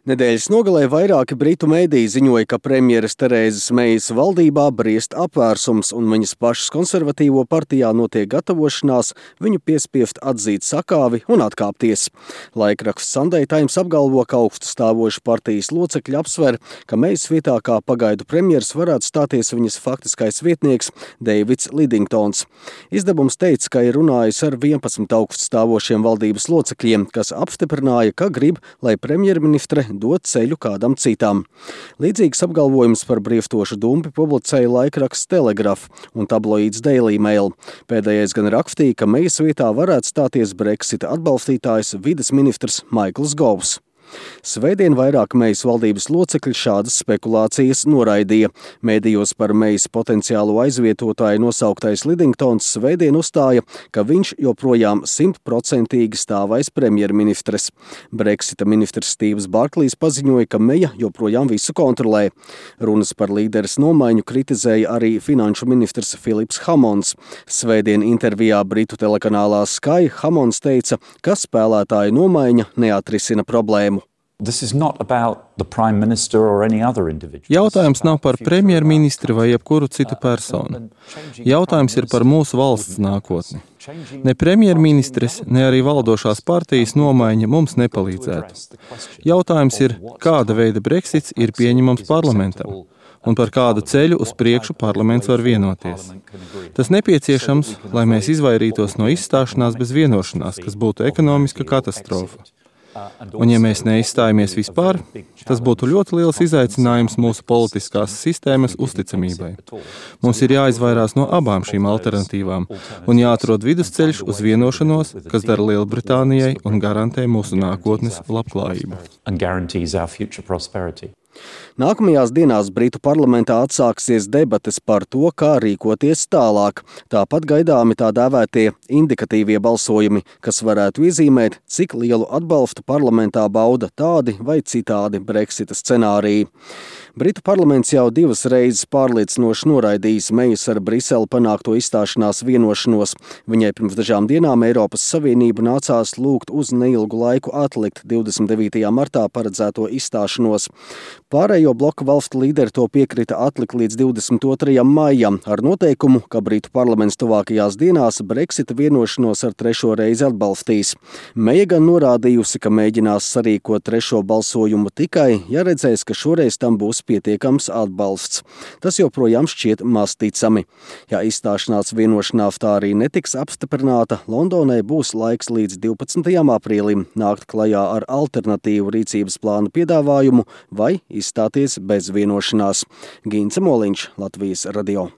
Nedēļas nogalē vairāki britu mēdīji ziņoja, ka premjeras Terēzes Meijas valdībā briest apvērsums un viņas pašas konservatīvo partijā notiek gatavošanās viņu piespiest atzīt sakāvi un atkāpties. Laikraksts Sunday Times apgalvo, ka augstu stāvošu partijas locekļi apsver, ka Meijas vietā kā pagaidu premjeras varētu stāties viņas faktiskais vietnieks Deivids Lidingtons. Izdevums teica, ka ir runājis ar 11 augstu stāvošiem valdības locekļiem, kas apstiprināja, ka grib, lai premjerministre dot ceļu kādam citam. Līdzīgs apgalvojums par brieftošu dumpi publicēja laikraksts Telegraph un tabloīds Daily Mail. Pēdējais gan rakstīja, ka Meijas vietā varētu stāties Brexita atbalstītājs vides ministrs Maikls Govs. Svētdien vairāk Meijas valdības locekļi šādas spekulācijas noraidīja. Mēdījos par Meijas potenciālo aizvietotāju nosauktais Lidingtons svētdien uzstāja, ka viņš joprojām 100% stāv aiz premjerministres. Brexita ministrs Stīvs Barklīs paziņoja, ka Meija joprojām visu kontrolē. Runas par līderes nomaiņu kritizēja arī finanšu ministrs Filips Hammonds. Svētdien intervijā Britu telekanālā Sky Hammonds teica, ka spēlētāju nomaiņa neatrisina problēmu. Jautājums nav par premjerministri vai jebkuru citu personu. Jautājums ir par mūsu valsts nākotni. Ne premjerministres, ne arī valdošās partijas nomaiņa mums nepalīdzētu. Jautājums ir, kāda veida Brexits ir pieņemams parlamentam un par kādu ceļu uz priekšu parlaments var vienoties. Tas nepieciešams, lai mēs izvairītos no izstāšanās bez vienošanās, kas būtu ekonomiska katastrofa. Un ja mēs neizstājamies vispār, tas būtu ļoti liels izaicinājums mūsu politiskās sistēmas uzticamībai. Mums ir jāizvairās no abām šīm alternatīvām un jāatrod vidusceļš uz vienošanos, kas dara Lielbritānijai un garantē mūsu nākotnes labklājību. Nākamajās dienās Britu parlamentā atsāksies debates par to, kā rīkoties tālāk. Tāpat gaidāmi tā dēvētie indikatīvie balsojumi, kas varētu iezīmēt, cik lielu atbalstu parlamentā bauda tādi vai citādi Brexita scenāriji. Britu parlaments jau 2 reizes pārliecinoši noraidījis Meijas ar Briseli panākto izstāšanās vienošanos. Viņai pirms dažām dienām Eiropas Savienību nācās lūgt uz neilgu laiku atlikt 29. martā paredzēto izstāšanos. Pārējo bloka valstu līderi to piekrita atlikt līdz 22. maijam ar noteikumu, ka Britu parlaments tuvākajās dienās Brexita vienošanos ar 3. reizi atbalstīs. Meija gan norādījusi, ka mēģinās sarīkot 3. balsojumu tikai, ja redzēs, ka šoreiz tam būs pietiekams atbalsts. Tas joprojām šķiet maz ticami. Ja izstāšanās vienošanās tā arī netiks apstiprināta, Londonai būs laiks līdz 12. aprīlim nākt klajā ar alternatīvu rīcības plānu piedāvājumu vai izstāties bez vienošanās. Gince Moliņš, Latvijas radio.